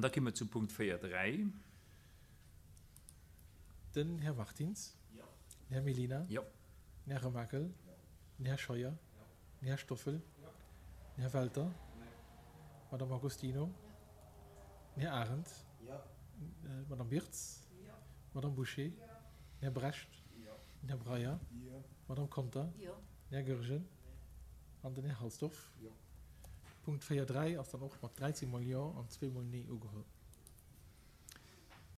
An da komme mer zum Punkt 4, 3. Den Här Martins. Den Här Mellina. Den Här Remakel. Den Här Scheuer. Den Här Stoffel. Den Här Welter. D'Madame Agostino. Den Här Arendt. D'Madame Birtz. D'Madame Bouché. Den Här Brecht. Den Här Breyer. D'Madame Conter. Den Här Goergen an den Här Halsdorf. Punkt 4, 3 ass dann och mat 13 mol Jo an zweemol Nee ugeholl.